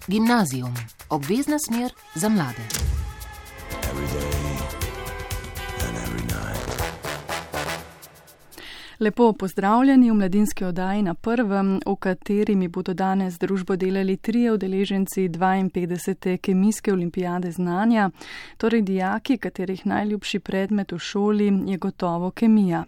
Gimnazijum, obvezna smer za mlade. Lepo pozdravljeni v mladinski oddaji Na prvem, v kateri mi bodo danes družbo delali 3 udeleženci 52. kemijske olimpijade znanja, torej dijaki, katerih najljubši predmet v šoli je gotovo kemija.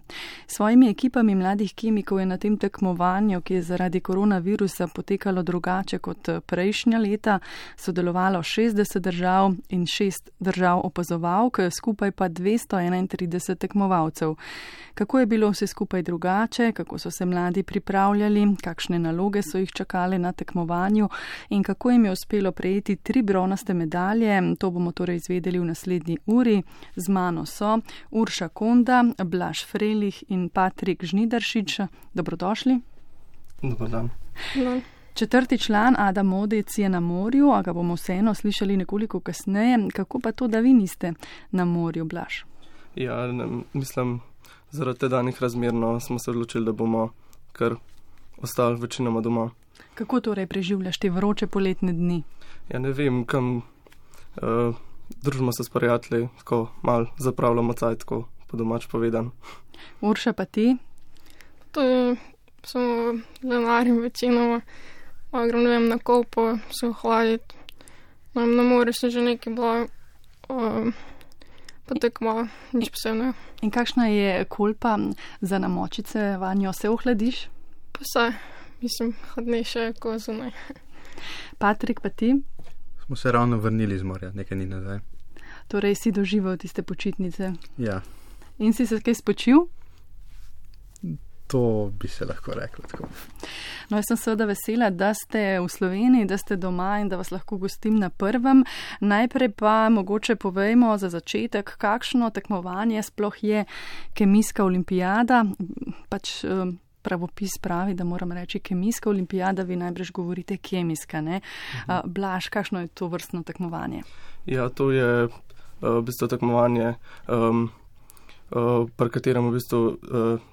S svojimi ekipami mladih kemikov je na tem tekmovanju, ki je zaradi koronavirusa potekalo drugače kot prejšnja leta, sodelovalo 60 držav in 6 držav opazovalk, skupaj pa 231 tekmovalcev. Kako je bilo vse skupaj drugače, kako so se mladi pripravljali, kakšne naloge so jih čakale na tekmovanju in kako jim je uspelo prejeti 3 bronaste medalje, to bomo torej izvedeli v naslednji uri. Z mano so Urša Konda, Blaž Frelih in Patrik Žnidaršič. Dobrodošli. Dobar dan. No. 4. član Adam Modec je na morju, a ga bomo vseeno slišali nekoliko kasneje. Kako pa to, da vi niste na morju, Blaž? Ja, mislim, zaradi danih razmer smo se odločili, da bomo kar ostali večinoma doma. Kako torej preživljaš te vroče poletne dni? Ja, ne vem, kam družimo se s prijatelji, tako malo zapravljamo cajt, tako po domač povedan. Urša, pa ti? To je samo denarim večinoma. Grem, ne vem, na kopo, se ohladiti. Na morju sem že nekaj bila, potek malo, nič posebno. In kakšna je kolpa za namočice, vanjo se ohladiš? Pa vse, mislim, hladnejše kot zunaj. Patrik, pa ti? Smo se ravno vrnili z morja, nekaj dni nazaj. Torej si doživel tiste počitnice? Ja. In si se kaj spočil? To bi se lahko reklo tako. No, jaz sem seveda vesela, da ste v Sloveniji, da ste doma in da vas lahko gostim na prvem. Najprej pa mogoče povejmo za začetek, kakšno tekmovanje sploh je kemijska olimpijada. Pač pravopis pravi, da moram reči kemijska olimpijada, vi najbrž govorite kemijska, ne? Blaž, kakšno je to vrstno tekmovanje? Ja, to je v bistvu tekmovanje, pri katerem v bistvu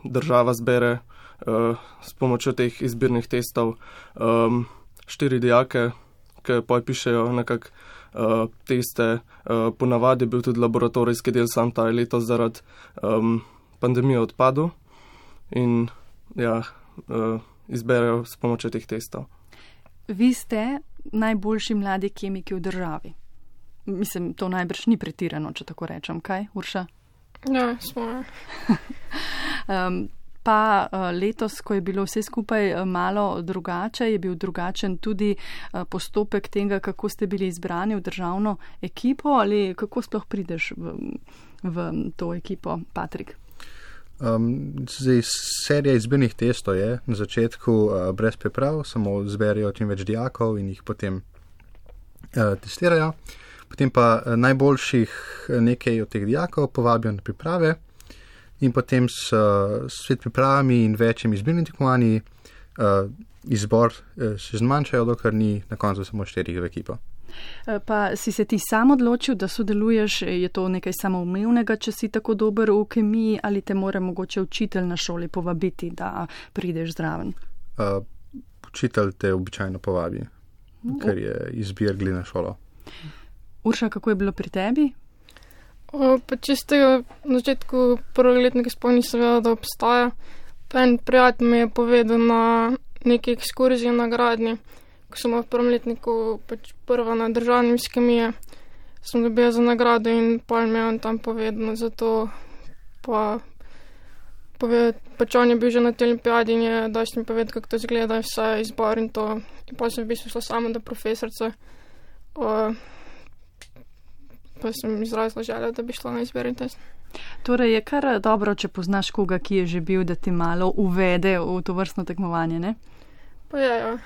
država zbere s pomočjo teh izbirnih testov 4 dijake, ki pa pišejo nekako teste. Ponavadi je bil tudi laboratorijski del, sam ta je letos zaradi pandemije odpadel in ja, izberejo s pomočjo teh testov. Vi ste najboljši mladi kemiki v državi. Mislim, to najbrž ni pretirano, če tako rečem. Kaj, Urša? Ja, smo. Pa letos, ko je bilo vse skupaj malo drugače, je bil drugačen tudi postopek tega, kako ste bili izbrani v državno ekipo ali kako sploh prideš v to ekipo, Patrik? Zdaj, serija izbirnih testov je na začetku brez priprav, samo zberijo čim več dijakov in jih potem testirajo. Potem pa najboljših nekaj od teh dijakov povabijo na priprave in potem s svet pripravami in večjimi izbirnimi tekmovanji izbor še zmanjšajo, dokler ni na koncu samo 4 v ekipo. Pa si se ti sam odločil, da sodeluješ, je to nekaj samoumevnega, če si tako dober v kemiji ali te mora mogoče učitelj na šoli povabiti, da prideš zraven? Učitelj te običajno povabi, ker je izbir glede na šolo. Urša, kako je bilo pri tebi? Pa čisto na začetku prvega letnika sploh nisem vedela, da obstaja. Pa en prijatelj mi je povedal na neki ekskurziji na Gradnji, ko sem v prvem letniku pač prva na državni iz kemije, sem dobila za nagrado in pol mi je on tam povedal, zato pa pač on je bil že na tej olimpijadi in je dosti mi povedal, kako to izgleda, vse izbor in to. In pa sem v bistvu šla sama do profesorce, pa sem izrazila željo, da bi šla na izbirni test. Torej je kar dobro, če poznaš koga, ki je že bil, da ti malo uvede v to vrstno tekmovanje, ne? Pa ja.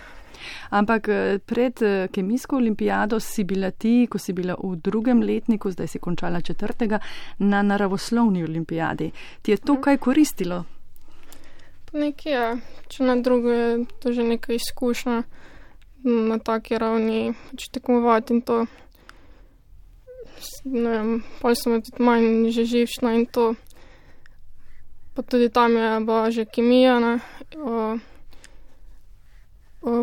Ampak pred kemijsko olimpijado si bila ti, ko si bila v 2. letniku, zdaj si končala 4., na naravoslovni olimpijadi. Ti je to kaj koristilo? Pa nekaj je. Če na drugo je to že nekaj izkušnja na taki ravni, če tekmovati in to. Ne vem, pol sem tudi manj že živčna in to. Pa tudi tam je bila že kemija, ne?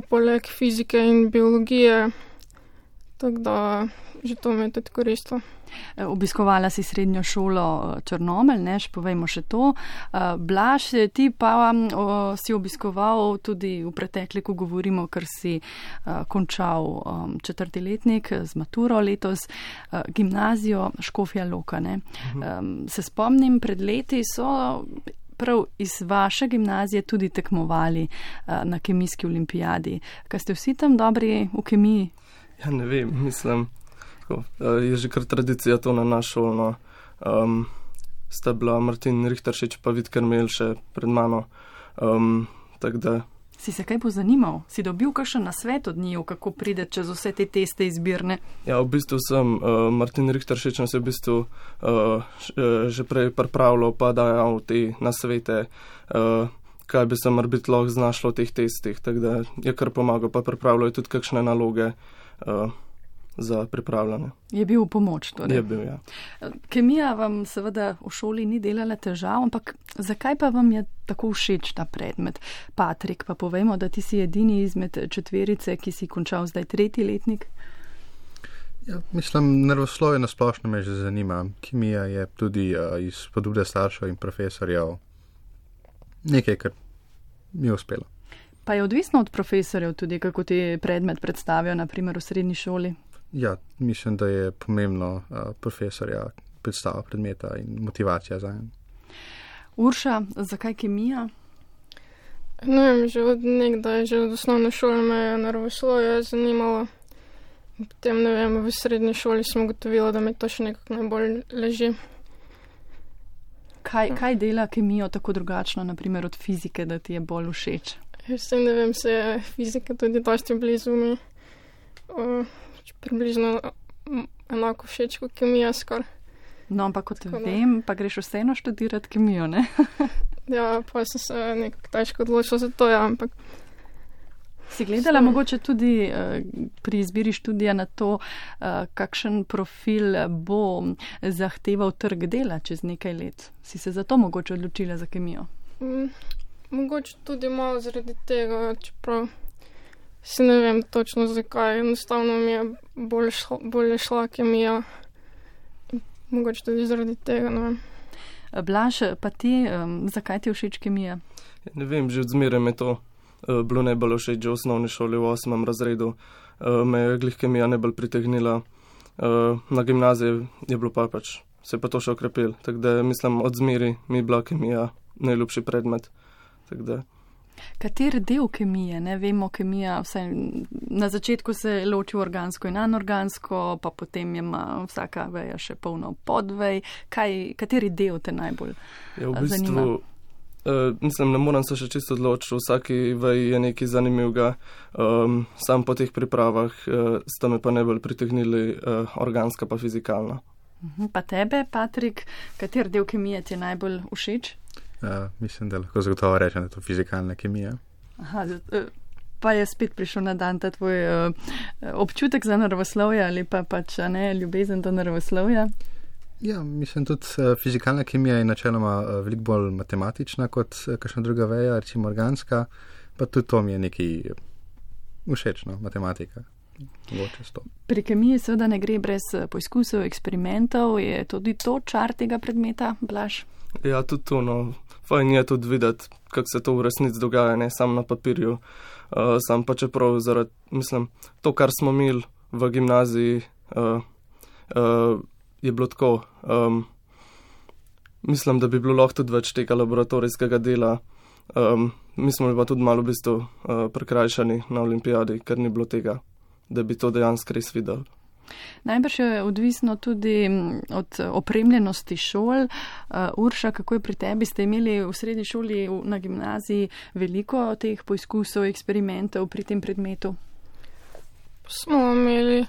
Poleg fizike in biologije Tako da že to mi je tudi koristilo. Obiskovala si srednjo šolo Črnomelj, ne, povejmo še to. Blaž, ti pa si obiskoval tudi v pretekliku, govorimo, ker si končal 4. letnik z maturo letos, gimnazijo Škofja Loka. Ne. Se spomnim, pred leti so prav iz vaše gimnazije tudi tekmovali na kemijski olimpijadi. Kaj ste vsi tam dobri v kemiji? Ja, ne vem, mislim, je že kar tradicija to na našo šolo. Sta bila Martin Richteršič pa Vid Kermel še pred mano. Tak da. Si se kaj pozanimal? Si dobil kakšen nasvet od njiju, kako pride čez vse te teste izbirne? Ja, v bistvu sem Martin Richteršič nas je v bistvu že prej pripravljal pa dajal te nasvete, kaj bi se morbiti lahko znašlo v teh testih. Tak da je kar pomagal, pa pripravljal tudi kakšne naloge za pripravljanje. Je bil v pomoč torej? Je bil, ja. Kemija vam seveda v šoli ni delala težav, ampak zakaj pa vam je tako všeč ta predmet? Patrik, pa povejmo, da ti si edini izmed četverice, ki si končal zdaj 3. letnik. Ja, mislim, naravoslovje na splošno me že zanima. Kemija je tudi iz spodbude staršev in profesorjev nekaj, kar mi je uspelo. Pa je odvisno od profesorjev tudi, kako ti predmet predstavijo, naprimer v srednji šoli? Ja, mislim, da je pomembno profesorja predstava predmeta in motivacija za en. Urša, zakaj kemija? Ne vem, že od nekdaj, že od osnovne šole me je naravoslovje zanimalo. Potem, ne vem, v srednji šoli sem ugotovila, da mi to še nekako najbolj leži. Kaj dela kemijo tako drugačno, naprimer od fizike, da ti je bolj všeč? Jaz ne vem, se je fizika tudi dosti blizu mi. Približno enako všeč kot kemija skoraj. No, ampak kot vem, pa greš vseeno študirati kemijo, ne? Ja, pa sem se nekako težko odločila za to, ja, ampak... Si gledala mogoče tudi pri izbiri študija na to, kakšen profil bo zahteval trg dela čez nekaj let? Si se zato mogoče odločila za kemijo? Mogoče tudi malo zaradi tega, čeprav si ne vem točno zakaj. Enostavno mi je bolje šla kemija. Mogoče tudi zaradi tega, ne vem. Blaž, pa ti, zakaj ti všeč kemija? Ne vem, že od zmeraj me to bilo najbolj všeč, že v osnovni šoli v 8. razredu. Me je glih kemija najbolj pritegnila. Na gimnaziji je bilo pa pač, se pa to še okrepil. Tako da mislim, od zmeraj mi je bila kemija najljubši predmet. Tako da. Kater del kemije? Ne vemo, kemija vsaj na začetku se loči v organsko in anorgansko, pa potem ima vsaka veja še polno podvej. Kateri del te najbolj zanima? Mislim, ne moram se še čisto odločiti, v vsaki veji je nekaj zanimivega. Sam po teh pripravah sta me pa najbolj pritegnili organska pa fizikalna. Pa tebe, Patrik, kater del kemije ti je najbolj všeč? Mislim, da lahko zagotovo rečem, da je to fizikalna kemija. Aha, pa je spet prišel na dan ta tvoj občutek za naravoslovje ali pa pač ne, ljubezen do naravoslovja? Ja, mislim, tudi fizikalna kemija je načeloma veliko bolj matematična kot kakšna druga veja, recimo organska, pa tudi to mi je nekaj všečno, matematika. Pri kemiji seveda ne gre brez poizkusov, eksperimentov, je tudi to čar tega predmeta, Blaž? Ja, tudi to, no. Fajn je tudi videti, kako se to v resnici dogaja, ne sam na papirju. Sam pa čeprav zaradi, mislim, to, kar smo imeli v gimnaziji, je bilo tako. Mislim, da bi bilo lahko tudi več tega laboratorijskega dela. Mi smo pa tudi malo v bistvu prekrajšani na olimpijadi, ker ni bilo tega, da bi to dejansko res videli. Najbrž je odvisno tudi od opremljenosti šol. Urša, kako je pri tebi? Ste imeli v srednji šoli na gimnaziji veliko teh poizkusov, eksperimentov pri tem predmetu? Smo imeli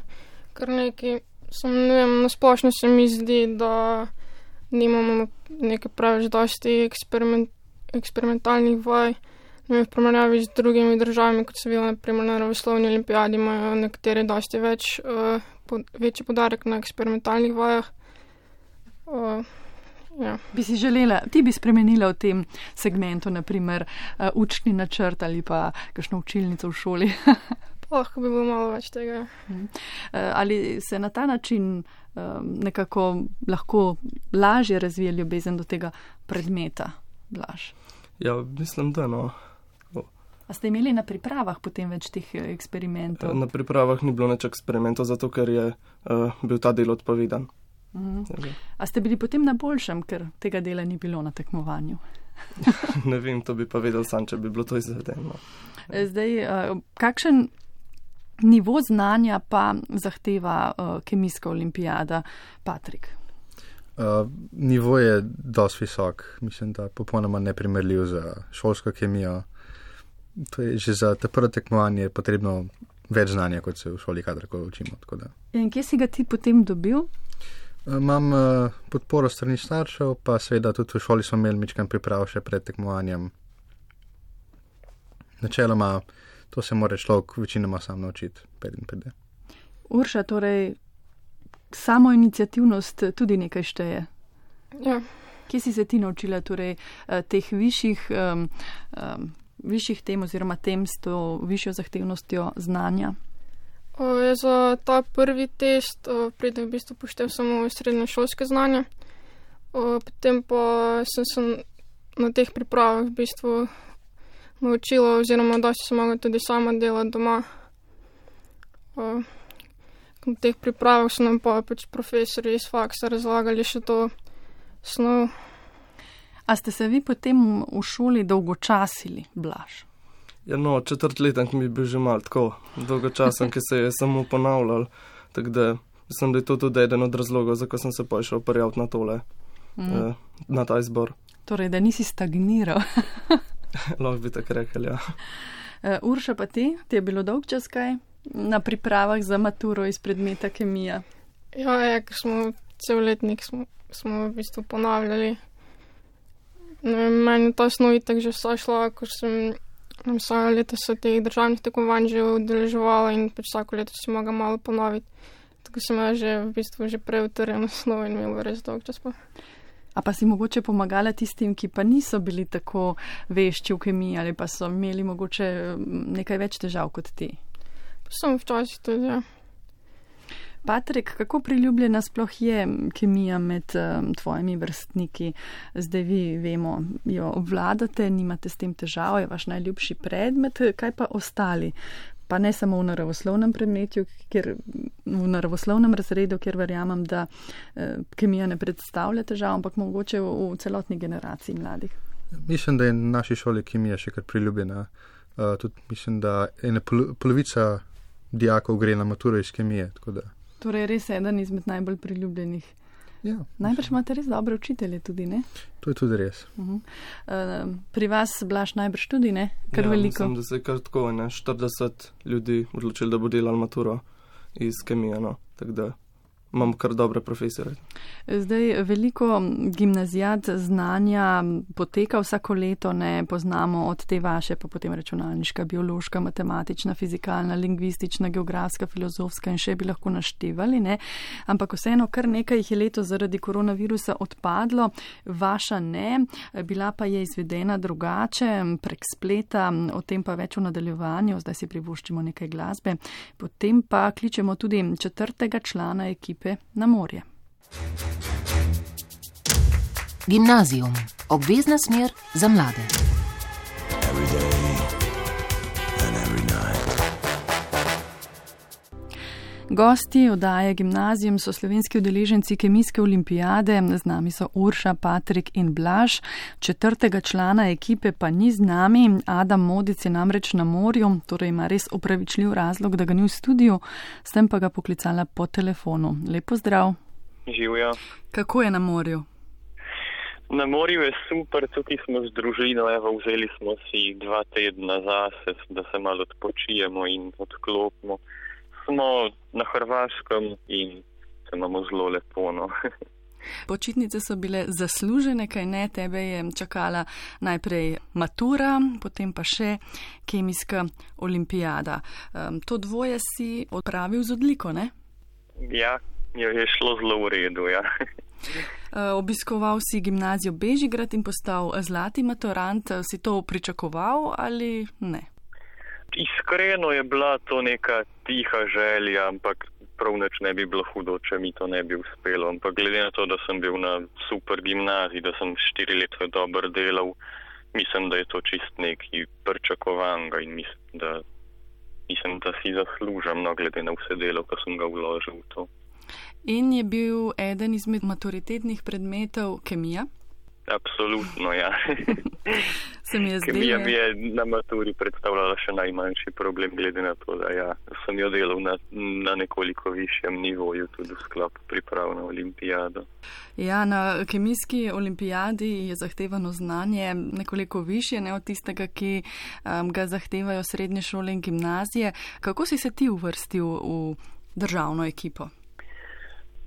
kar nekaj. Ne vem, na splošno se mi zdi, da nimamo nekaj pravič dosti eksperimentalnih vaj. V primerjavi z drugimi državami, kot so bile na primer na naravoslovni olimpijadi, imajo nekateri dosti večji poudarek na eksperimentalnih vajah. Ja. Bi si želela, ti bi spremenila v tem segmentu, naprimer učni načrt ali pa kakšno učilnico v šoli? Lahko bi bilo malo več tega. Ali se na ta način nekako lahko lažje razvije ljubezen do tega predmeta, Blaž? Ja, mislim, da no. A ste imeli na pripravah potem več teh eksperimentov? Na pripravah ni bilo nič eksperimentov, zato ker je bil ta del odpovedan. A ste bili potem na boljšem, ker tega dela ni bilo na tekmovanju? Ne vem, to bi pa vedel sam, če bi bilo to izvedeno. Zdaj, kakšen nivo znanja pa zahteva kemijska olimpijada, Patrik? Nivo je dosti visok, mislim, da popolnoma neprimerljiv za šolsko kemijo. To je že za te prvo tekmovanje potrebno več znanja, kot se v šoli kadarkoli učimo. In kje si ga ti potem dobil? Imam podporo strani staršev, pa seveda tudi v šoli smo imeli mičkan priprav še pred tekmovanjem. Načeloma, to se mora človek večinoma sam naučiti, preden pride. Urša, torej samo iniciativnost tudi nekaj šteje. Ja. Kje si se ti naučila torej teh višjih tem oziroma tem s to višjo zahtevnostjo znanja? Za ta prvi test pridem v bistvu poštev samo srednješolske znanje. Potem pa sem se na teh pripravah v bistvu naučila oziroma dosti sem mogla tudi sama delati doma. Na teh pripravah so nam pa pač profesori iz faksa razlagali še to snov. A ste se vi potem v šoli dolgočasili, Blaž? Ja, no, četrtletnik mi je bil že malo tako dolgočasen, ki se je samo ponavljal. Tako da mislim, da je to tudi eden od razlogov, zakaj sem se pa šel prijaviti na tole, na ta izbor. Torej, da nisi stagniral. Lahko bi tako rekel, ja. Urša, pa ti je bilo dolg čas kaj na pripravah za maturo iz predmeta kemija? Ja, ker smo cel letnik smo v bistvu ponavljali. Meni ta snov itak že vsa šla, ko sem vsako leto se teh državnih tekmovanj že udeleževala in pač vsako leto si mogla malo ponoviti. Tako sem že v bistvu že prej utrjeno snov in imela res dolg čas pa. A pa si mogoče pomagala tistim, ki pa niso bili tako vešči v kemiji ali pa so imeli mogoče nekaj več težav kot ti? Pa sem včasih tudi, ja. Patrik, kako priljubljena sploh je kemija med tvojimi vrstniki? Zdaj vi, vemo, jo obvladate, nimate s tem težav, je vaš najljubši predmet, kaj pa ostali? Pa ne samo v naravoslovnem predmetu, v naravoslovnem razredu, kjer verjamem, da kemija ne predstavlja težav, ampak mogoče v celotni generaciji mladih. Mislim, da je na naši šoli kemija še kar priljubljena. Tudi mislim, da ena polovica dijakov gre na maturo iz kemije, tako da. Torej, res je eden izmed najbolj priljubljenih. Ja. Najbrž imate res dobre učitelje tudi, ne? To je tudi res. Pri vas, Blaž, najbrž tudi, ne? Kar ja, veliko. Mislim, da se je kar tako, 40 ljudi odločili, da bo delal maturo iz kemije, no. Tako da imam kar dobre profesore. Zdaj, veliko gimnazijat znanja poteka vsako leto, ne poznamo od te vaše, pa potem računalniška, biološka, matematična, fizikalna, lingvistična, geografska, filozofska in še bi lahko naštevali, ne? Ampak vseeno kar nekaj jih je leto zaradi koronavirusa odpadlo, vaša ne, bila pa je izvedena drugače, prek spleta, o tem pa več v nadaljevanju, zdaj si privoščimo nekaj glasbe, potem pa kličemo tudi 4. člana ekipe na morje. Gimnazijum. Obvezna smer za mlade. Gosti oddaje Gimnazijum so slovenski udeleženci kemijske olimpijade, z nami so Urša, Patrik in Blaž. 4. člana ekipe pa ni z nami, Adam Modic je namreč na morju, torej ima res opravičljiv razlog, da ga ni v studiu, s tem pa ga poklicala po telefonu. Lepo zdrav. Živjo. Kako je na morju? Na morju je super, tukaj smo z družino, vzeli smo si 2 tedna zase, da se malo odpočijemo in odklopimo. Smo na Hrvaškem in se imamo zelo lepo, no. Počitnice so bile zaslužene, kaj ne, tebe je čakala najprej matura, potem pa še kemijska olimpijada. To dvoje si opravil z odliko, ne? Ja, je šlo zelo v redu, ja. Obiskoval si gimnazijo Bežigrad in postal zlati maturant. Si to pričakoval ali ne? Iskreno je bila to neka tiha želja, ampak prav nič ne bi bilo hudo, če mi to ne bi uspelo. Ampak glede na to, da sem bil na super gimnaziji, da sem 4 leta dobro delal, mislim, da je to čist nekaj pričakovanega in mislim, da si zaslužim, no, glede na vse delo, ko sem ga vložil v to. In je bil eden izmed maturitetnih predmetov kemija? Absolutno, ja. Se mi je zdelo. Kemija mi je na maturi predstavljala še najmanjši problem, glede na to, da sem jo delal na nekoliko višjem nivoju, tudi v sklopu priprav na olimpijado. Ja, na kemijski olimpijadi je zahtevano znanje nekoliko višje, ne od tistega, ki ga zahtevajo srednje šole in gimnazije. Kako si se ti uvrstil v državno ekipo?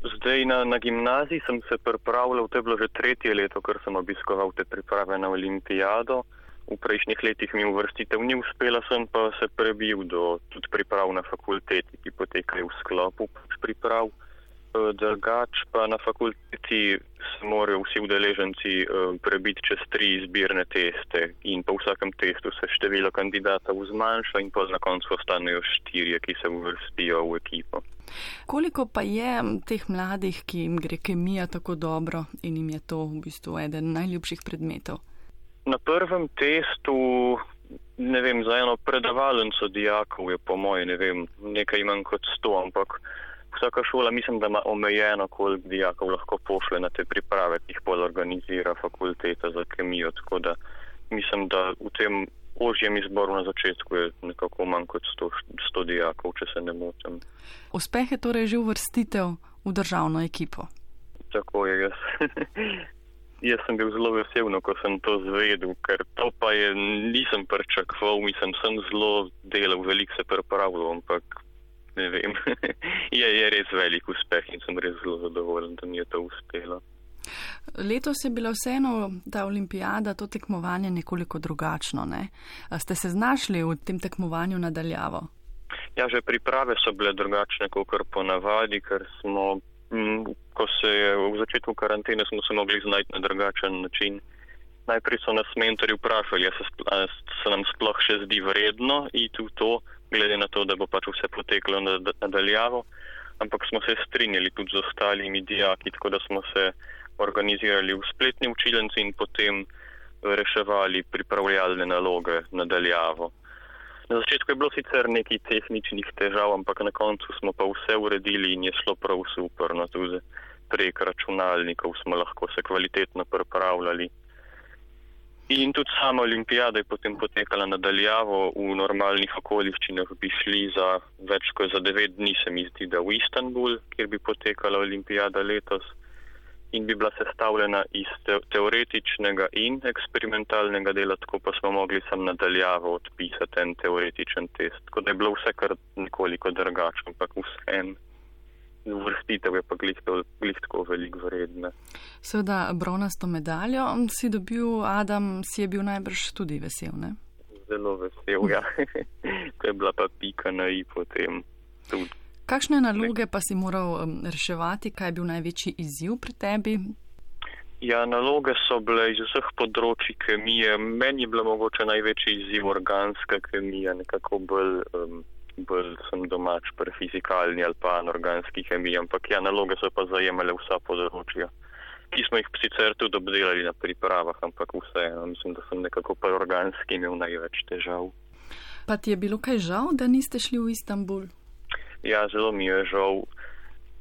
Zdaj na gimnaziji sem se pripravljal, to je bilo že 3. leto, ker sem obiskoval te priprave na olimpijado. V prejšnjih letih mi uvrstitev ni uspela, sem pa se prebil do tudi priprav na fakulteti, ki potekajo v sklopu priprav. Drugač pa na fakulteti se morajo vsi udeleženci prebiti čez 3 izbirne teste in po vsakem testu se število kandidatov zmanjša in pa na koncu ostanejo 4, ki se uvrstijo v ekipo. Koliko pa je teh mladih, ki jim gre kemija tako dobro in jim je to v bistvu eden najljubših predmetov? Na prvem testu, ne vem, za eno predavalnico dijakov je po moje, ne vem, nekaj manj kot 100, ampak vsaka šola mislim, da ima omejeno, koliko dijakov lahko pošle na te priprave, ki jih bolj organizira fakulteta za kemijo, tako da mislim, da v tem ožjem izboru na začetku je nekako manj kot 100 dijakov, če se ne motim. Uspeh je torej že uvrstitev v državno ekipo? Tako je, jaz sem bil zelo vesel, ko sem to zvedel, ker to pa nisem pričakoval, sem zelo delal, veliko se pripravljal, ampak ne vem, je res velik uspeh in sem res zelo zadovoljen, da mi je to uspelo. Letos je bila vseeno ta olimpijada, to tekmovanje nekoliko drugačno, ne? Ste se znašli v tem tekmovanju nadaljavo? Ja, že priprave so bile drugačne, kot ponavadi, ker smo, ko se je v začetku karantene, smo se mogli znajti na drugačen način. Najprej so nas mentori vprašali, a se nam sploh še zdi vredno iti v to, glede na to, da bo pač vse poteklo nadaljavo, ampak smo se strinjali tudi z ostalimi dijaki, tako da smo se organizirali v spletni učilnici in potem reševali pripravljalne naloge nadaljavo. Na začetku je bilo sicer nekaj tehničnih težav, ampak na koncu smo pa vse uredili in je šlo prav super. No, tudi prek računalnikov smo lahko se kvalitetno pripravljali. In tudi sama olimpijada je potem potekala nadaljavo, v normalnih okoliščinah bi šli za več kot za 9 dni, se mi zdi, da v Istanbul, kjer bi potekala olimpijada letos in bi bila sestavljena iz teoretičnega in eksperimentalnega dela, tako pa smo mogli sam nadaljavo odpisati en teoretičen test. Tako da je bilo vse kar nekoliko drugače, ampak vseeno. Uvrstitev je pa glih tako veliko vredna. Seveda bronasto medaljo si dobil, Adam, si je bil najbrž tudi vesel, ne? Zelo vesel, ja. To je bila pa pika na i potem tudi. Kakšne naloge pa si moral reševati, kaj je bil največji izziv pri tebi? Ja, naloge so bile iz vseh področji kemije. Meni je bila mogoče največji izziv organska kemija, nekako bolj sem domač pri fizikalni ali pa anorganski kemiji, ampak ja, naloge so pa zajemale vsa področja, ki smo jih sicer tudi obdelali na pripravah, ampak vseeno, mislim, da sem nekako pri organski imel največ težav. Pa ti je bilo kaj žal, da niste šli v Istanbul? Ja, zelo mi je žal.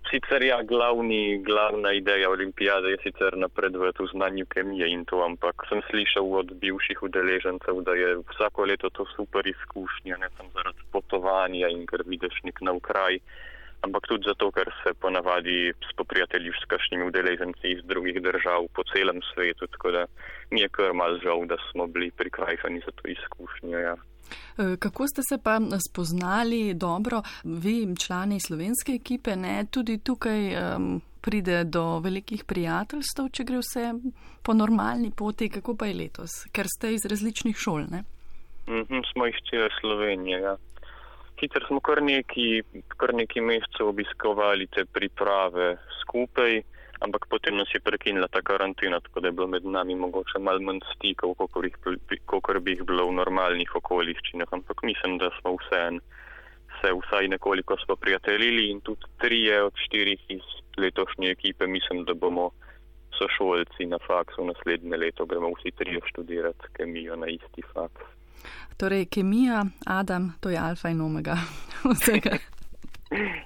Sicer ja, glavna ideja olimpijade je sicer napredovati v znanju kemije in to, ampak sem slišal od bivših udeležencev, da je vsako leto to super izkušnja, ne samo zaradi potovanja in ker vidiš nek nov kraj, ampak tudi zato, ker se ponavadi spoprijateljiš s kakšnimi udeleženci iz drugih držav po celem svetu, tako da mi je kar mal žal, da smo bili prikrajšani za to izkušnjo, ja. Kako ste se pa spoznali dobro, vi člani slovenske ekipe, ne, tudi tukaj pride do velikih prijateljstv, če gre vse po normalni poti, kako pa je letos, ker ste iz različnih šol, ne? Smo iz cele Slovenije, ja. Sicer smo kar nekaj mesecev obiskovali te priprave skupaj, ampak potem nas je prekinila ta karantena, tako da je bilo med nami mogoče malo manj stikov, kakor bi jih bilo v normalnih okoliščinah, ampak mislim, da smo se vsaj nekoliko smo prijateljili in tudi 3 od 4 iz letošnje ekipe mislim, da bomo sošolci na faksu naslednje leto, gremo vsi 3 študirati kemijo na isti faks. Torej, kemija, Adam, to je alfa in omega vsega.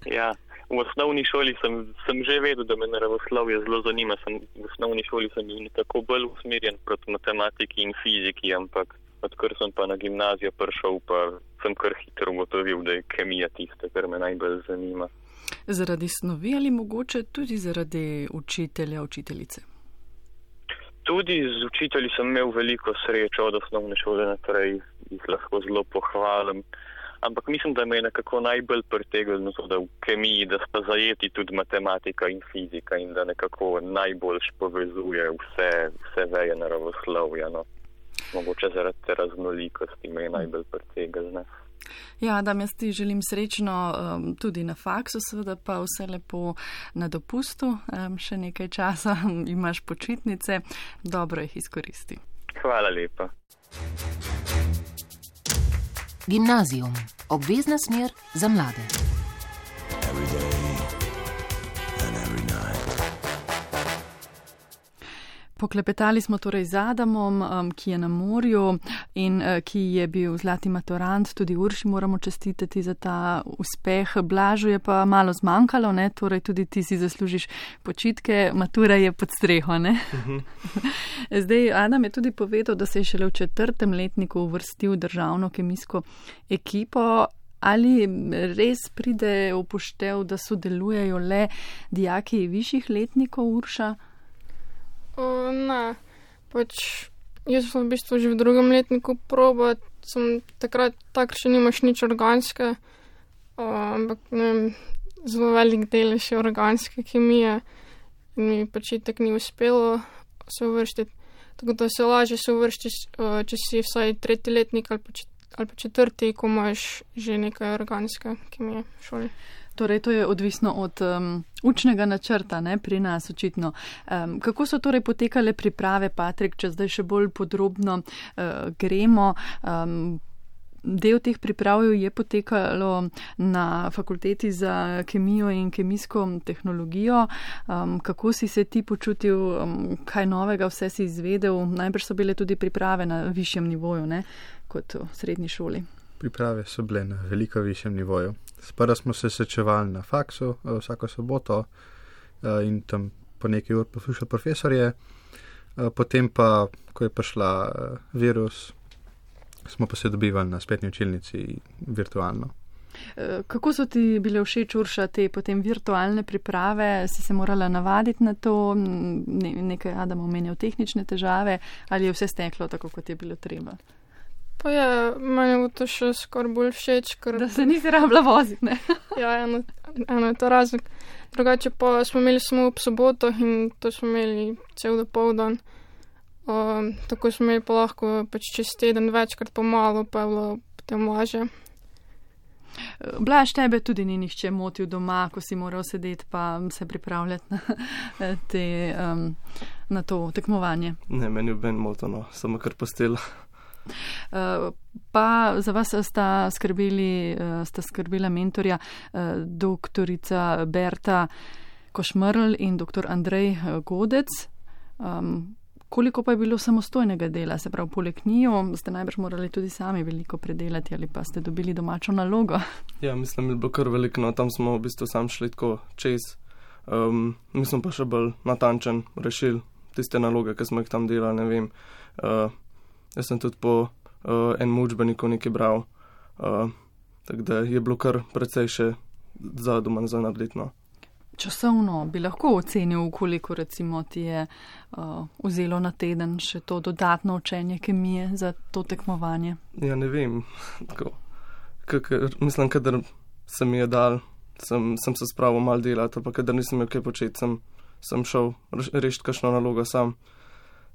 Ja, v osnovni šoli sem že vedel, da me naravoslovje zelo zanima. V osnovni šoli sem bil nekako bolj usmerjen proti matematiki in fiziki, ampak odkar sem pa na gimnazijo prišel, pa sem kar hitro ugotovil, da je kemija tista, kar me najbolj zanima. Zaradi snovi ali mogoče tudi zaradi učitelja, učiteljice? Tudi z učitelji sem imel veliko srečo od osnovne šole naprej, jih lahko zelo pohvalim. Ampak mislim, da me je nekako najbolj pritegnilo to, da v kemiji, da sta zajeti tudi matematika in fizika in da nekako najboljš povezuje vse veje naravoslovja. No. Mogoče zaradi te raznolikosti me je najbolj pritegnilo. Ja, Adam, jaz ti želim srečno tudi na faksu, seveda pa vse lepo na dopustu. Še nekaj časa imaš počitnice, dobro jih izkoristi. Hvala lepa. Gimnazijum. Obvezna smer za mlade. Poklepetali smo torej z Adamom, ki je na morju in ki je bil zlati maturant. Tudi Urši moramo čestitati za ta uspeh. Blažu je pa malo zmanjkalo, ne? Torej tudi ti si zaslužiš počitke, matura je pod streho, ne? Zdaj, Adam je tudi povedal, da se je šele v 4. letniku uvrstil v državno kemijsko ekipo. Ali res pride upoštev, da sodelujejo le dijaki višjih letnikov, Urša? Ne, jaz sem v bistvu že v 2. letniku probat, sem takrat še nimaš nič organske, ampak ne vem, zelo velik del še organske kemije in mi itak ni uspelo se uvrštiti, tako da se lažje se uvrštiš, če si vsaj 3. letnik ali pa 4., ko imaš že nekaj organske kemije v šoli. Torej, to je odvisno od učnega načrta, ne, pri nas očitno. Kako so torej potekale priprave, Patrik, če zdaj še bolj podrobno gremo? Del teh priprav je potekalo na fakulteti za kemijo in kemijsko tehnologijo. Kako si se ti počutil, kaj novega vse si izvedel? Najbrž so bile tudi priprave na višjem nivoju, ne, kot v srednji šoli. Priprave so bile na veliko višjem nivoju. Sprva smo se srečevali na faksu vsako soboto in tam po nekaj ur poslušali profesorje. Potem pa, ko je prišla virus, smo pa se dobivali na spletni učilnici virtualno. Kako so ti bile všeč, Urša, te potem virtualne priprave? Si se morala navaditi na to? Nekaj Adam omenjal tehnične težave ali je vse steklo tako, kot je bilo treba? Pa je, meni bo to še skoraj bolj všeč, ker... Da se nisi rabila voziti, ne? Ja, eno je to razlog. Drugače pa smo imeli samo ob sobotoh in to smo imeli cel dopoldan. Tako smo imeli pa lahko čez teden večkrat pomalo, pa je bilo potem lažje. Blaž, tebe tudi ni nihče motil doma, ko si moral sedeti pa se pripravljati na to tekmovanje. Ne, meni je ben motono, samo kar postela. Pa za vas sta skrbila mentorja doktorica Berta Košmrl in doktor Andrej Godec. Koliko pa je bilo samostojnega dela, se pravi poleg njiju, ste najbrž morali tudi sami veliko predelati ali pa ste dobili domačo nalogo? Ja, mislim, je bilo kar veliko, no, tam smo v bistvu sam šli tako čez. Mi smo pa še bolj natančen rešili tiste naloge, ki smo jih tam delali, ne vem. Jaz sem tudi po enem učbeniku nekaj bral, tako da je bilo kar precej še za doma za narediti, no. Časovno bi lahko ocenil, koliko recimo ti je vzelo na teden še to dodatno učenje kemije za to tekmovanje? Ja, ne vem. Tako, mislim, kadar se mi je dal, sem se spravil malo delati, pa kadar nisem imel kaj početi, sem šel rešiti kakšno nalogo sam.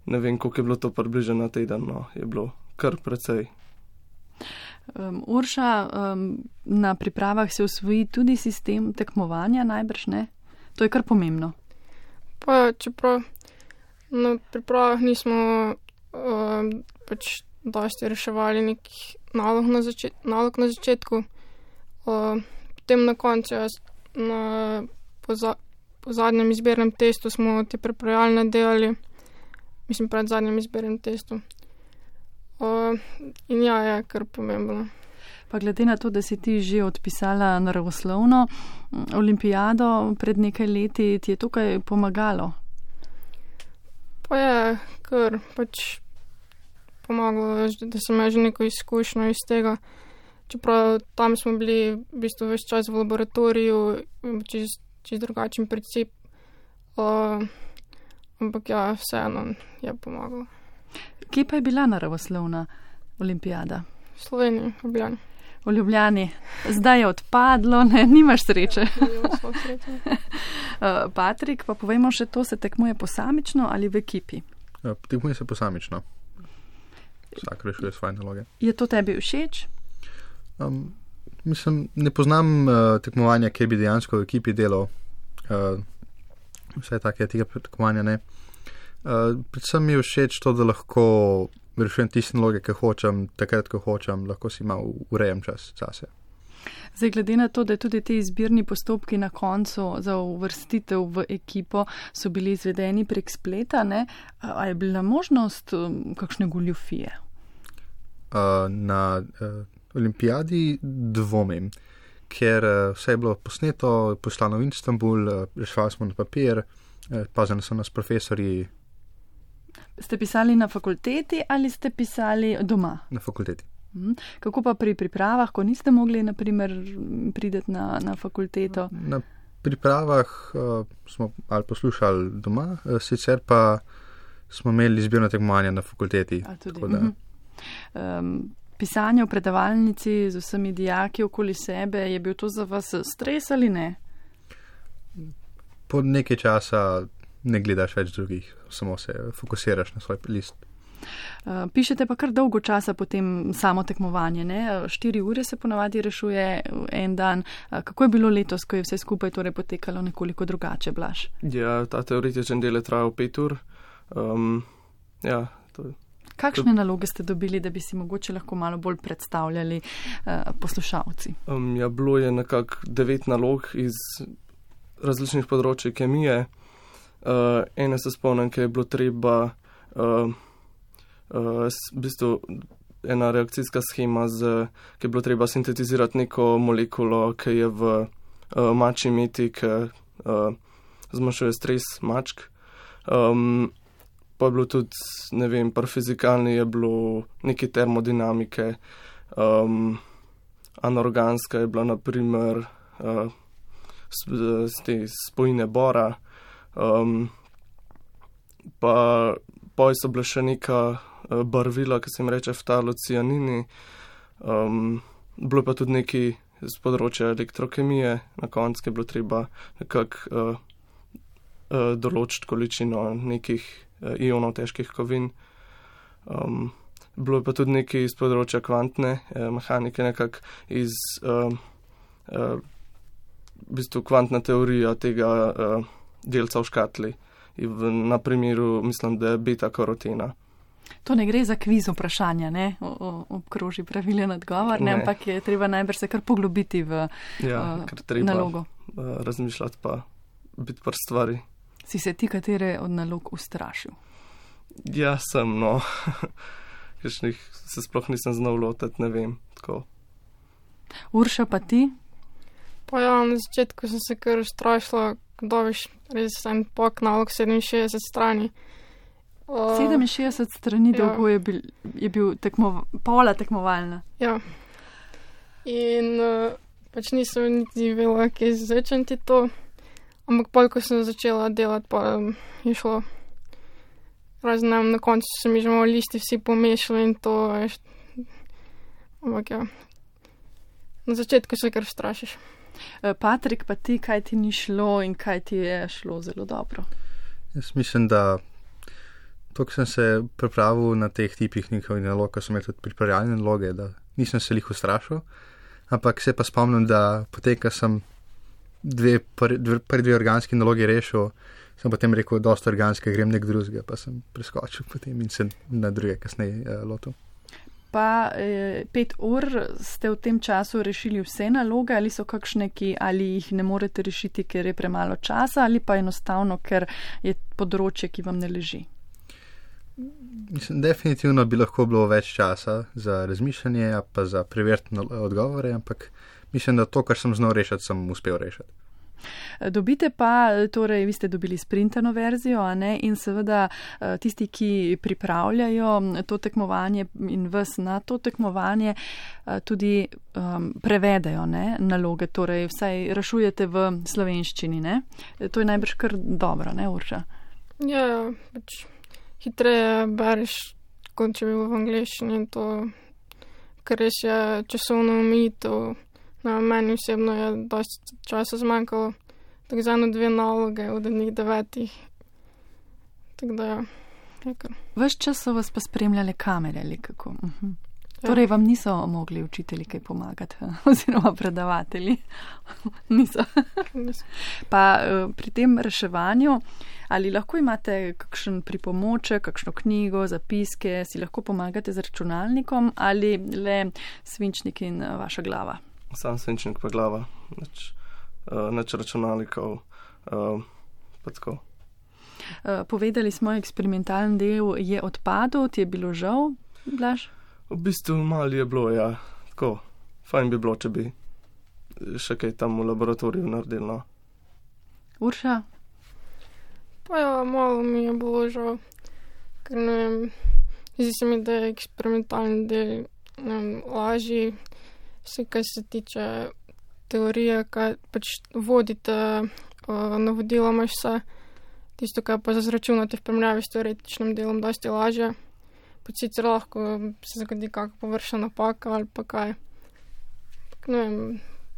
Ne vem, koliko je bilo to približno na teden, no, je bilo kar precej. Urša, na pripravah se usvoji tudi sistem tekmovanja, najbrž ne? To je kar pomembno. Pa čeprav na pripravah nismo pač dosti reševali nekih nalog na začetku. Potem na koncu, po zadnjem izbirnem testu smo te pripravljalne delali, mislim pred zadnjem izbirnem testu. In ja, je kar pomembno. Pa glede na to, da si ti že odpisala naravoslovno olimpijado pred nekaj leti, ti je tukaj pomagalo? Pa je kar pač pomagalo, da sem imela že neko izkušnjo iz tega. Čeprav tam smo bili v bistvu ves čas v laboratoriju, čez drugačen princip. Ampak ja, vseeno je pomagalo. Kje pa je bila naravoslovna olimpijada? V Sloveniji, v Ljubljani. V Ljubljani. Zdaj je odpadlo, ne, nimaš sreče. Patrik, pa povejmo še to, se tekmuje posamično ali v ekipi? Ja, tekmuje se posamično. Vsak rešuje svoje naloge. Je to tebi všeč? Mislim, ne poznam tekmovanja, kjer bi dejansko v ekipi delal. Vse take tega tekmovanja ne. Predvsem mi je všeč to, da lahko rešujem tiste naloge, ki hočem, takrat, ko hočem, lahko si malo urejem čas zase. Zdaj, glede na to, da tudi ti izbirni postopki na koncu za uvrstitev v ekipo so bili izvedeni prek spleta, ne? A je bila možnost kakšne goljufije? Na olimpijadi dvomim, ker vse je bilo posneto, poslano v Istanbul, reševali smo na papir, pazili so nas profesorji. Ste pisali na fakulteti ali ste pisali doma? Na fakulteti. Kako pa pri pripravah, ko niste mogli, na primer, prideti na fakulteto? Na pripravah smo ali poslušali doma, sicer pa smo imeli izbirno tekmovanje na fakulteti. Pisanje v predavalnici z vsemi dijaki okoli sebe, je bil to za vas stres ali ne? Po nekaj časa ne gledaš več drugih, samo se fokusiraš na svoj list. Pišete pa kar dolgo časa potem samo tekmovanje, ne? 4 ure se ponavadi rešuje en dan. Kako je bilo letos, ko je vse skupaj torej potekalo nekoliko drugače, Blaž? Ja, ta teoretičen del je trajal 5 ur. Ja, to je. Kakšne naloge ste dobili, da bi si mogoče lahko malo bolj predstavljali poslušalci? Ja, bilo je nekako 9 nalog iz različnih področij kemije. Ene se spomnim, ki je bilo treba v bistvu ena reakcijska schema, ki je bilo treba sintetizirati neko molekulo, ki je v mačji meti, ki zmanjšuje stres mačk. Pa je bilo tudi, ne vem, par fizikalni je bilo neke termodinamike, anorganska je bila naprimer te spojine bora, pa so bile še neka barvila, ki se jim reče ftalocianini, bilo pa tudi neki z področja elektrokemije, na koncu je bilo treba nekako določiti količino nekih ionov težkih kovin. Bilo je pa tudi nekaj iz področja kvantne mehanike, nekako iz v bistvu kvantna teorija tega delca v škatli. Na primeru, mislim, da je beta-karotena. To ne gre za kviz vprašanja, ne? Obkroži pravilen odgovor, ne? Ampak je treba najbrž se kar poglobiti v nalogo. Razmišljati pa biti par stvari. Si se ti katere od nalog ustrašil? Ja, sem, no. Kakšnih se sploh nisem znal lotiti, ne vem, tako. Urša, pa ti? Pa ja, na začetku sem se kar ustrašila, dobiš res en pok nalog 67 strani. 67 strani dolgo je bil pola tekmovalna. Ja. In pač nisem niti vedela, kje začeti to. Ampak pol, ko sem začela delati, pa je šlo. Raznem, na koncu so mi že malo listi vsi pomešali in to, veš. Ampak ja, na začetku se kar strašiš. Patrik, pa ti, kaj ti ni šlo in kaj ti je šlo zelo dobro? Jaz mislim, da to, ko sem se pripravil na teh tipih njihovih nalog, ko sem imel tudi pripravljalne naloge, da nisem se lih ustrašil, ampak se pa spomnim, da potem, ko sem prvi dve organski nalogi rešil, Sem potem rekel, dosta organske, grem nek drugega, pa sem preskočil potem in se na druge kasneje lotil. Pa 5 ur ste v tem času rešili vse naloge ali so kakšne, ali jih ne morete rešiti, ker je premalo časa ali pa enostavno, ker je področje, ki vam ne leži? Mislim, definitivno bi lahko bilo več časa za razmišljanje, pa za preverjene odgovore, ampak mislim, da to, kar sem znal rešiti, sem uspel rešiti. Dobite pa, torej vi ste dobili sprintano verzijo, a ne, in seveda tisti, ki pripravljajo to tekmovanje in vas na to tekmovanje, tudi prevedajo, ne, naloge, torej vsaj rešujete v slovenščini, ne. To je najbrž kar dobro, ne, Urša? Ja, pač hitreje bereš, kot če bi bilo v angleščini, in to, ker res je časovno omejitev. Meni osebno je dosti časa zmanjkalo, tako za 1-2 naloge od njih 9. Tako da je kar. Ves čas so vas pa spremljale kamere ali kako? Torej vam niso mogli učitelji kaj pomagati, oziroma predavatelji? Niso. Pa pri tem reševanju, ali lahko imate kakšen pripomoček, kakšno knjigo, zapiske, si lahko pomagate z računalnikom ali le svinčnik in vaša glava? Sam svinčnik pa glava, nič računalnikov, pa tako. Povedali smo, eksperimentalni del je odpadel, ti je bilo žal, Blaž? V bistvu malo je bilo, ja, tako. Fajn bi bilo, če bi še kaj tam v laboratoriju naredili, no. Urša? Pa ja, malo mi je bilo žal, ker ne vem, zdi se mi, da je eksperimentalni del lažji. Vse, kaj se tiče teorije, kaj pač vodite, navodila imaš vse, tisto, kaj pa zračunate v primerjavi s teoretičnim delom, dosti lažje. Pač sicer lahko se zgodi kakšna površna napaka ali pa kaj. Ne vem,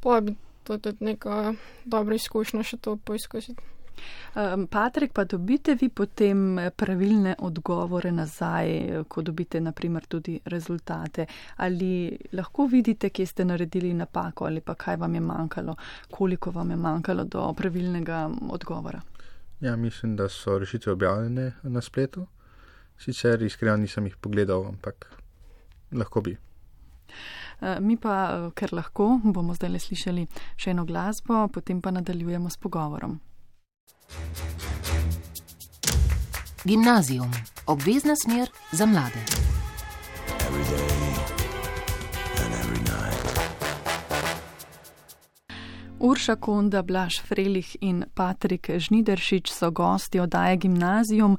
pa bi to tudi neka dobra izkušnja še to poizkusiti. Patrik, pa dobite vi potem pravilne odgovore nazaj, ko dobite naprimer tudi rezultate? Ali lahko vidite, kje ste naredili napako ali pa kaj vam je manjkalo, koliko vam je manjkalo do pravilnega odgovora? Ja, mislim, da so rešitve objavljene na spletu. Sicer iskreno nisem jih pogledal, ampak lahko bi. Mi pa, ker lahko, bomo zdaj le slišali še eno glasbo, potem pa nadaljujemo s pogovorom. Gimnazijum. Obvezna smer za mlade. Urša Konda, Blaž Frelih in Patrik Žnideršič so gosti oddaje Gimnazijum,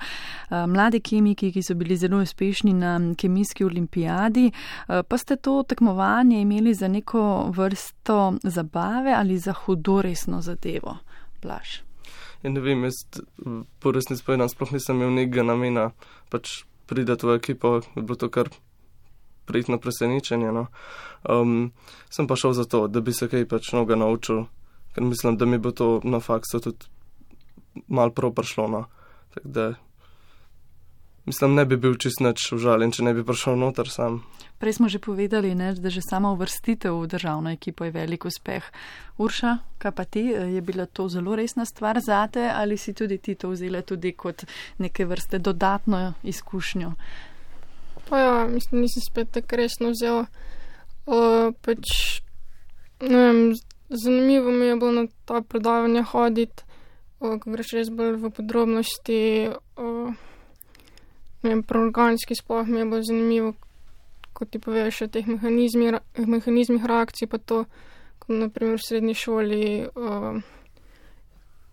mladi kemiki, ki so bili zelo uspešni na kemijski olimpijadi. Pa ste to tekmovanje imeli za neko vrsto zabave ali za hudoresno zadevo, Blaž? Ja, ne vem, jaz po resnici povedano sploh nisem imel nekega namena pač pridati v ekipo, je bilo to kar prijetno presenečenje, no. Sem pa šel za to, da bi se kaj pač mnogo naučil, ker mislim, da mi bo to na faksu tudi malo prav prišlo, no. Tako da, mislim, ne bi bil čist nič užaljen, če ne bi prišel noter sam. Prej smo že povedali, ne, da že sama uvrstitev v državno ekipo je velik uspeh. Urša, kaj pa ti? Je bila to zelo resna stvar zate ali si tudi ti to vzela tudi kot neke vrste dodatno izkušnjo? Pa ja, mislim, nisem spet tako resno vzela. Pač, ne vem, zanimivo mi je bilo na ta predavanja hoditi, ko greš res bolj v podrobnosti, ne vem, pri organski sploh mi je bilo zanimivo, ko ti poveš o teh mehanizmih reakcij, pa to, ko naprimer v srednji šoli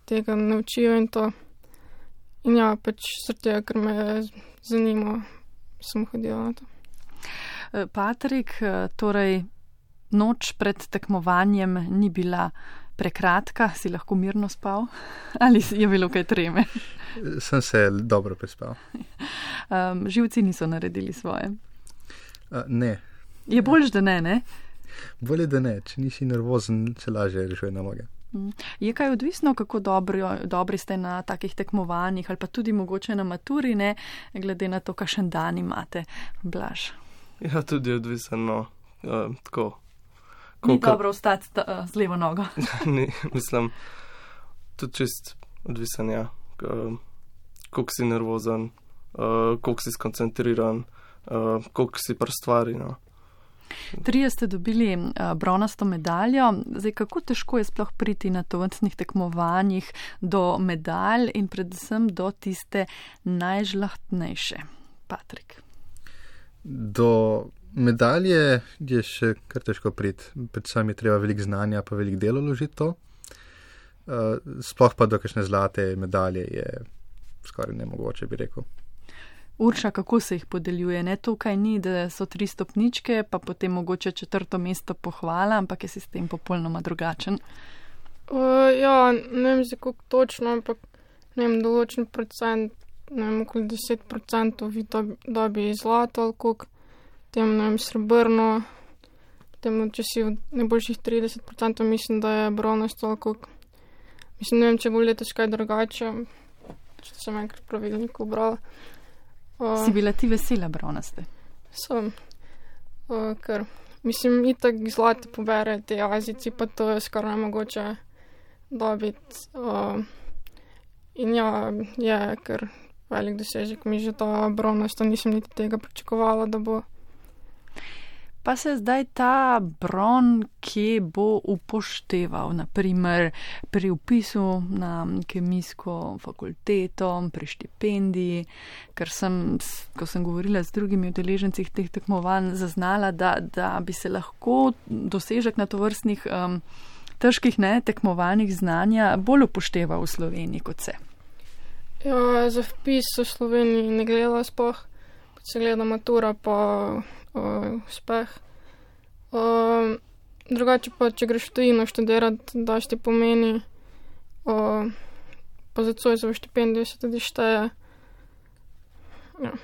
tega naučijo in to. In ja, pač srte, ker me zanima, sem hodila na to. Patrik, torej noč pred tekmovanjem ni bila prekratka, si lahko mirno spal ali je bilo kaj treme? Sem se dobro prespal. Živci niso naredili svoje? Ne. Je boljš, da ne? Bolje, da ne. Če nisi nervozen, se lažje rešuje naloge. Je kaj odvisno, kako dobri ste na takih tekmovanjih ali pa tudi mogoče na maturi, ne, glede na to, kakšen dan imate, Blaž? Ja, tudi odvisno, tako. Ni dobro ostati z levo nogo. Ni, mislim, tudi čist odvisen, ja, koliko si nervozen, koliko si skoncentriran, koliko si pri stvari. No. 3 ste dobili bronasto medaljo. Zdaj, kako težko je sploh priti na tovrstnih tekmovanjih do medalj in predvsem do tiste najžlahtnejše? Patrik. Do medalje je še kar težko priti. Predvsem je treba veliko znanja pa veliko delo vložiti to. Sploh pa do kakšne zlate medalje je skoraj nemogoče, bi rekel. Urša, kako se jih podeljuje? Ne, tukaj ni, da so 3 stopničke, pa potem mogoče 4. mesto pohvala, ampak je sistem popolnoma drugačen. Ja, ne vem, kako točno, ampak ne vem, določen procent, ne vem, okoli 10% vi dobi zlato ali koliko, potem, ne vem, srebrno, potem, če si v najboljših 30%, mislim, da je bronasto ali koliko. Mislim, ne vem, če bo letos kaj drugače, če sem enkrat pravilnik ubrala. Si bila ti vesela bronaste? Sem, ker mislim, itak zlate pobere te Azijci, pa to je skoraj nemogoče dobiti. In ja, je kar velik dosežek, mi že ta bronasta, nisem niti tega pričakovala, da bo. Pa se zdaj ta bron, kje bo upošteval, naprimer pri vpisu na kemijsko fakulteto, pri štipendiji, ker ko sem govorila z drugimi udeleženci teh tekmovanj, zaznala, da bi se lahko dosežek na tovrstnih težkih tekmovanjih znanja bolj upošteval v Sloveniji kot se. Ja, za vpis v Sloveniji ne gledala sploh, kot se gleda matura pa uspeh. Drugače pa, če greš v tujino študirati, daš ti pomeni, pa za Zoisovo štipendijo se tudi šteje. Ja.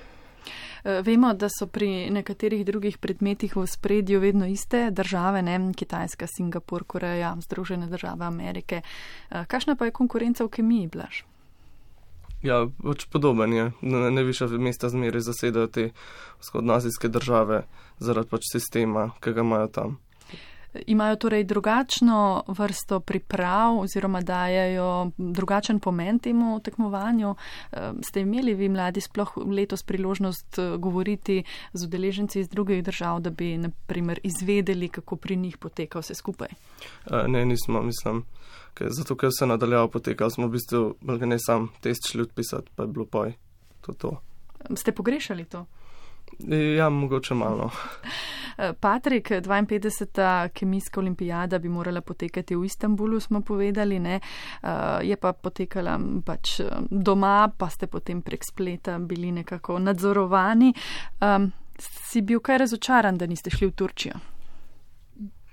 Vemo, da so pri nekaterih drugih predmetih v spredju vedno iste države, ne? Kitajska, Singapur, Koreja, Združene države Amerike. Kakšna pa je konkurenca v kemiji, Blaž? Ja, pač podoben je. Najvišja mesta zmeraj zasedajo te vzhodnoazijske države zaradi pač sistema, ki ga imajo tam. Imajo torej drugačno vrsto priprav oziroma dajajo drugačen pomen temu tekmovanju. Ste imeli vi mladi sploh letos priložnost govoriti z udeleženci iz drugih držav, da bi naprimer izvedeli, kako pri njih poteka vse skupaj? Ne, nismo, mislim. Zato, ker se nadaljavo potekal, smo v bistvu ne sam test šli odpisati, pa je bilo poj. To. Ste pogrešali to? Ja, mogoče malo. Patrik, 52. kemijska olimpijada bi morala potekati v Istanbulu, smo povedali, ne? Je pa potekala pač doma, pa ste potem prek spleta bili nekako nadzorovani. Si bil kaj razočaran, da niste šli v Turčijo?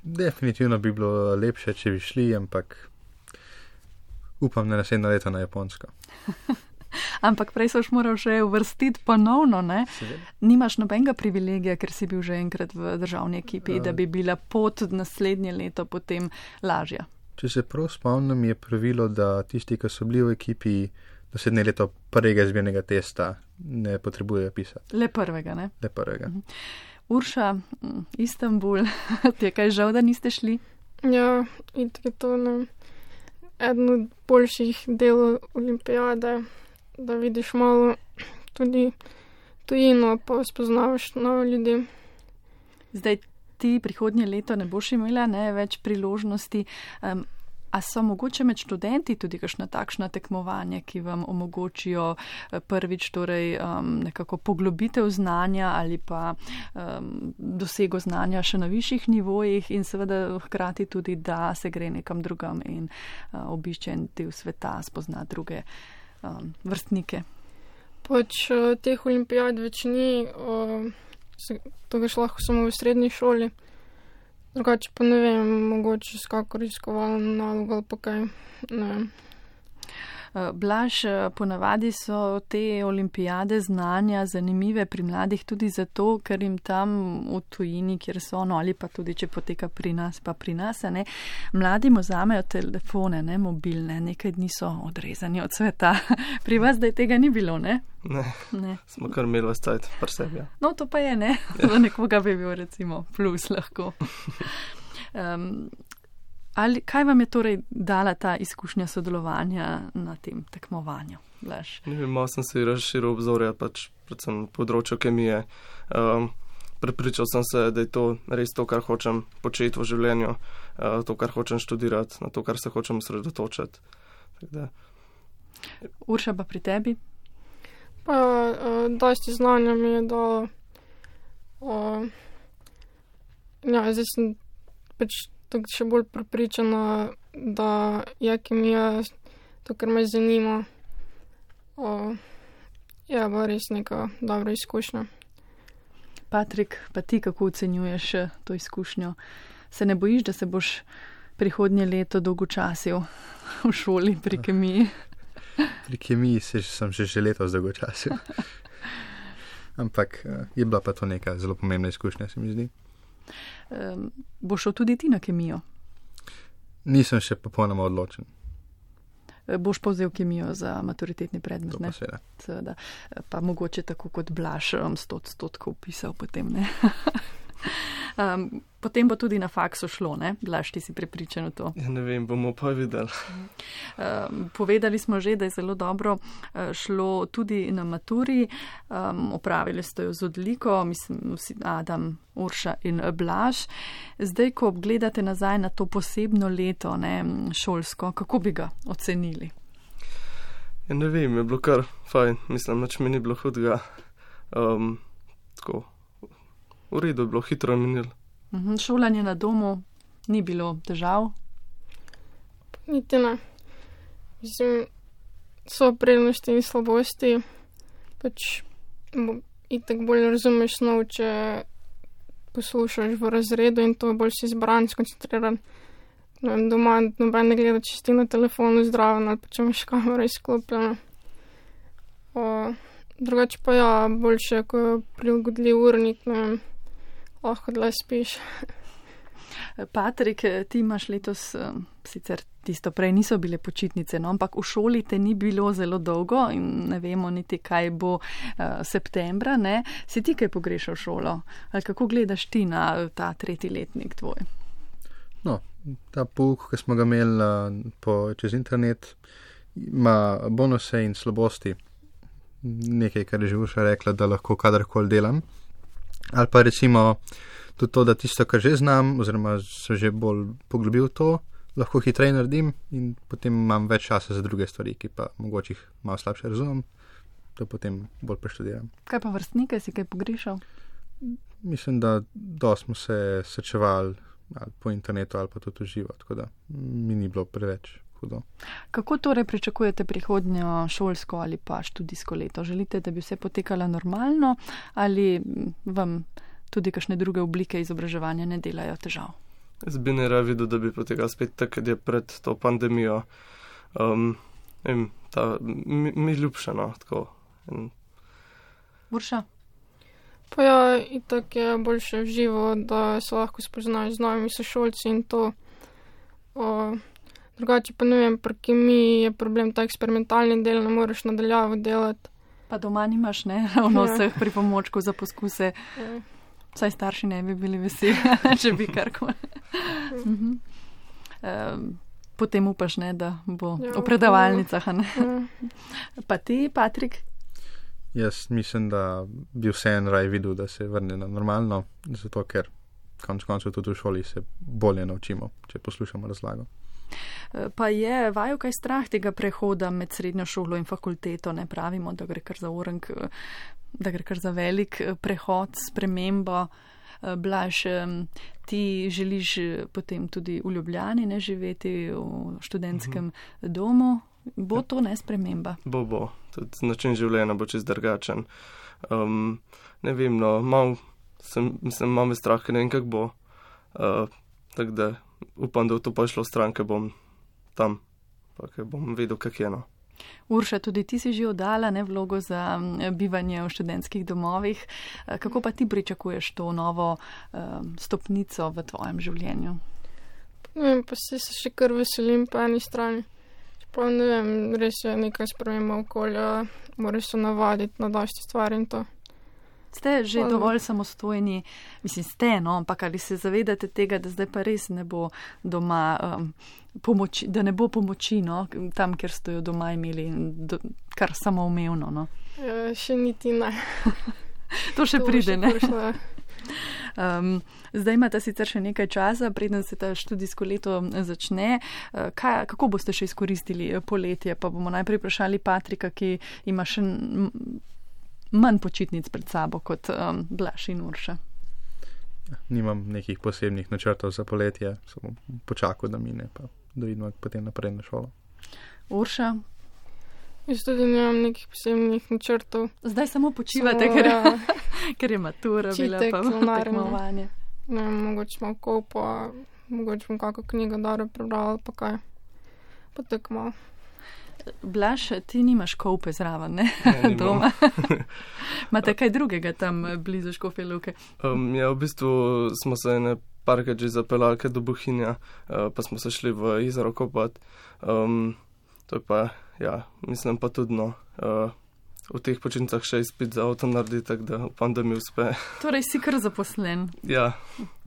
Definitivno bi bilo lepše, če bi šli, ampak upam, da naslednje leto na Japonsko. Ampak prej soš moral še uvrstiti ponovno, ne? Nimaš nobenega privilegija, ker si bil že enkrat v državni ekipi, da bi bila pot naslednje leto potem lažja. Če se prav spomnim, je pravilo, da tisti, ki so bili v ekipi naslednje leto prvega izbirnega testa, ne potrebujejo pisati. Le prvega, ne? Le prvega. Urša, Istanbul, ti je kaj žal, da niste šli? Ja, in tako je to eden od boljših delov olimpijade, da vidiš malo tudi tujino, pa spoznavaš nove ljudi. Zdaj ti prihodnje leto ne boš imela več priložnosti. A so mogoče med študenti tudi kakšna takšna tekmovanja, ki vam omogočijo prvič torej nekako poglobitev znanja ali pa dosego znanja še na višjih nivojih in seveda hkrati tudi, da se gre nekam drugam in obišče en del sveta, spozna druge vrstnike? Pač teh olimpijad več ni, to ga lahko samo v srednji šoli. Drugače pa ne vem, mogoče s kako raziskovalno nalogo ali pa kaj, ne vem. Blaž, ponavadi so te olimpijade znanja zanimive pri mladih tudi zato, ker jim tam v tujini, kjer so ali pa tudi, če poteka pri nas, pa pri nas, ne, mladi vzamejo telefone, ne, mobilne, nekaj dni so odrezani od sveta. Pri vas zdaj tega ni bilo, ne? Ne. Smo kar imeli vas cajt pri sebi. Ja. No, to pa je, ne? Za nekoga bi bil recimo plus lahko. Kaj vam je torej dala ta izkušnja sodelovanja na tem tekmovanju? Blaž? Ne vem, malo sem si razširil obzorja, pač predvsem področju kemije. Prepričal sem se, da je to res to, kar hočem početi v življenju, to, kar hočem študirati, na to, kar se hočem osredotočiti. Urša, pa pri tebi? Pa dosti znanja mi je dalo. Zdaj sem pač tukaj še bolj prepričana, da je kemija to, kar me zanima. Bo res neka dobra izkušnja. Patrik, pa ti kako ocenjuješ to izkušnjo? Se ne bojiš, da se boš prihodnje leto dolgočasil v šoli pri kemiji? Pri kemiji sem že letos dolgočasil. Ampak je bila pa to neka zelo pomembna izkušnja, se mi zdi. Boš šel tudi ti na kemijo? Nisem še popolnoma odločen. Boš povzel kemijo za maturitetni predmet, ne? To pa seveda. Pa mogoče tako kot Blaž 100% upisal potem, ne? Potem bo tudi na faksu šlo, ne? Blaž, ti si prepričan v to? Ja, ne vem, bomo pa videli. Povedali smo že, da je zelo dobro šlo tudi na maturi. Opravili ste jo z odliko, mislim, Adam, Urša in Blaž. Zdaj, ko gledate nazaj na to posebno leto, ne, šolsko, kako bi ga ocenili? Ja, ne vem, je bilo kar fajn. Mislim, nič mi ni bilo hudega. Tako, v redu je bilo, hitro je minilo. Šolanje na domu ni bilo težav? Niti ne. Mislim, so prednosti in slabosti. Pač itak bolj razumeš snov, če poslušaš v razredu in to bolj si zbran, skoncentriran. Doma noben ne gleda, če si na telefonu zdraven ali pa če imaš kamero izklopljeno. Drugače pa ja, boljše, ko je prilagodljiv urnik, ne vem, lahko dlje spiš. Patrik, ti imaš letos, sicer tisto prej niso bile počitnice, no, ampak v šoli te ni bilo zelo dolgo in ne vemo niti, kaj bo septembra, ne? Si ti kaj pogrešal šolo? Ali kako gledaš ti na ta 3. letnik tvoj? No, ta pouk, ki smo ga imeli čez internet, ima bonuse in slabosti. Nekaj, kar je že Urša rekla, da lahko kadarkoli delam. Ali pa recimo tudi to, da tisto, kar že znam, oziroma sem že bolj poglobil to, lahko hitreje naredim in potem imam več časa za druge stvari, ki pa mogoče jih malo slabše razumem, to potem bolj preštudiram. Kaj pa vrstnike, si kaj pogrešal? Mislim, da dosti smo se srečevali ali po internetu ali pa tudi v živo, tako da mi ni bilo preveč hudo. Kako torej pričakujete prihodnjo šolsko ali pa študijsko leto? Želite, da bi vse potekalo normalno ali vam tudi kakšne druge oblike izobraževanja ne delajo težav? Jaz bi ne rad videl, da bi potekal spet tako, kot je pred to pandemijo. Mi ljubše, no, tako. Urša? Pa ja, itak je boljše v živo, da se lahko spoznaš z novimi sošolci in to. Drugače pa ne vem, pri kemiji je problem ta eksperimentalni del, ne moreš nadaljavo delati. Pa doma nimaš, ne, ravno vseh pripomočkov za poskuse. Vsaj starši ne bi bili veseli, če bi karkoli. Potem upaš, ne, da bo v predavalnicah, ne. Pa ti, Patrik? Jaz mislim, da bi vseeno raj videl, da se vrne na normalno, zato ker konec koncev tudi v šoli se bolje naučimo, če poslušamo razlago. Pa je vaju kaj strah tega prehoda med srednjo šolo in fakulteto, ne pravimo, da gre kar za orenk, da gre kar za velik prehod, spremembo. Blaž, ti želiš potem tudi v Ljubljani, ne, živeti v študentskem domu. Bo to ne sprememba? Bo. Tudi način življenja bo čist drugačen. Ne vem, no, malo me strah, ker ne vem, kak bo. Tako da upam, da v to pa šlo stran, ker bom tam, pa ker bom vedel, kak je, no. Urša, tudi ti si že oddala, ne, vlogo za bivanje v študentskih domovih. Kako pa ti pričakuješ to novo stopnico v tvojem življenju? Ne vem, pa se še kar veselim po eni strani. Pa ne vem, res je nekaj sprememba okolja, moraš se navaditi na dosti stvari in to. Ste že dovolj samostojni, mislim, ste, no, ampak ali se zavedate tega, da zdaj pa res ne bo doma pomoči, da ne bo pomoči, no, tam, kjer ste jo doma imeli, kar samoumevno, no? Še niti ne. To še pride, ne? Zdaj imate sicer še nekaj časa, preden se ta študijsko leto začne. Kako boste še izkoristili poletje? Pa bomo najprej vprašali Patrika, ki ima še manj počitnic pred sabo kot Blaž in Urša. Nimam nekih posebnih načrtov za poletje, samo počakal, da mine, pa da vidimo potem naprej na šolo. Urša? Jaz tudi nimam nekih posebnih načrtov. Zdaj samo počivate, ker je matura bila pa tekmovanje. Ne, mogoče malo kopa, mogoče bom kako knjigo dobro prebrala, pa kaj. Pa tako malo. Blaž, ti nimaš kope zraven, ne? Doma. Imate kaj drugega tam blizu Škofje Loke? Ja, v bistvu smo se parkrat že zapeljali do Bohinja, pa smo se šli v jezero kopat. To je pa, ja, mislim pa tudi, no, v teh počitnicah še izpit za avto naredi, tako da upam, da mi uspe. Torej si kar zaposlen. Ja.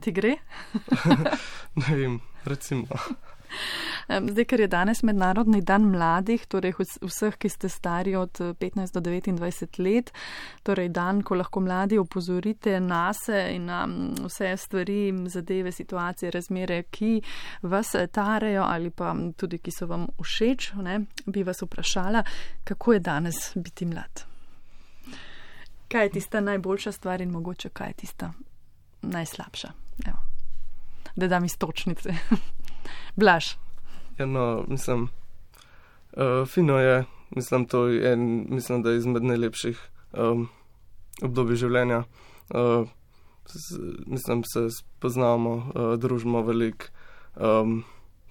Ti gre? Ne vem, recimo. Zdaj, ker je danes Mednarodni dan mladih, torej vseh, ki ste stari od 15 do 29 let, torej dan, ko lahko mladi opozorite nase in na vse stvari, zadeve, situacije, razmere, ki vas tarejo ali pa tudi, ki so vam všeč, ne, bi vas vprašala, kako je danes biti mlad? Kaj je tista najboljša stvar in mogoče kaj je tista najslabša? Evo. Da dam iztočnice. Blaž. Ja, no, mislim, fino je, mislim, to je, mislim, da je izmed najlepših obdobij življenja. Mislim, se spoznamo, družimo veliko,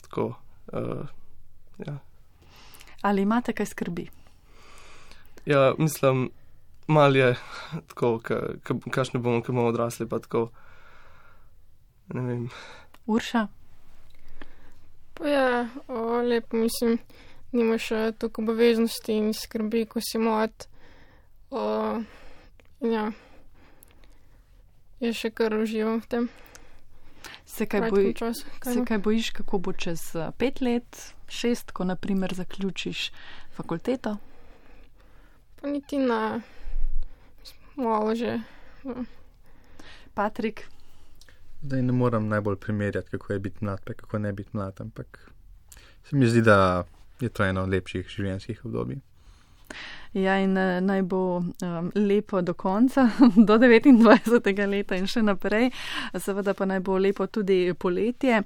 tako, ja. Ali imate kaj skrbi? Ja, mislim, malo je tako, kakšni bomo, ko bomo odrasli, pa tako, ne vem. Urša? Pa ja, lepo, mislim, nimaš toliko obveznosti in skrbi, ko si mlad. Ja, jaz še kar uživam v tem. Se kaj bojiš, kako bo čez 5 let, 6, ko naprimer zaključiš fakulteto? Pa niti na malo že. Patrik? Zdaj ne moram najbolj primerjati, kako je biti mlad, pa kako ne biti mlad, ampak se mi zdi, da je to eno od lepših življenjskih obdobij. Ja, in naj bo lepo do konca, do 29. leta in še naprej. Seveda pa naj bo lepo tudi poletje.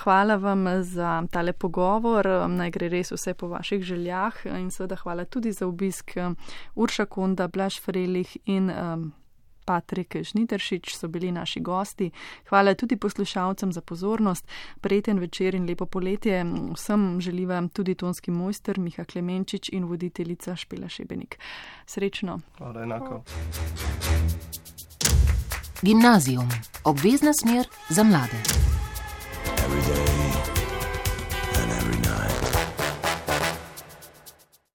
Hvala vam za tale pogovor, naj gre res vse po vaših željah in seveda hvala tudi za obisk Urša Konda, Blaž Frelih in Patrik Žnidaršič so bili naši gosti. Hvala tudi poslušalcem za pozornost. Prijeten večer in lepo poletje. Vsem želiva tudi tonski mojster Miha Klemenčič in voditeljica Špela Šebenik. Srečno. Hvala, enako. Gimnazijum. Obvezna smer za mlade.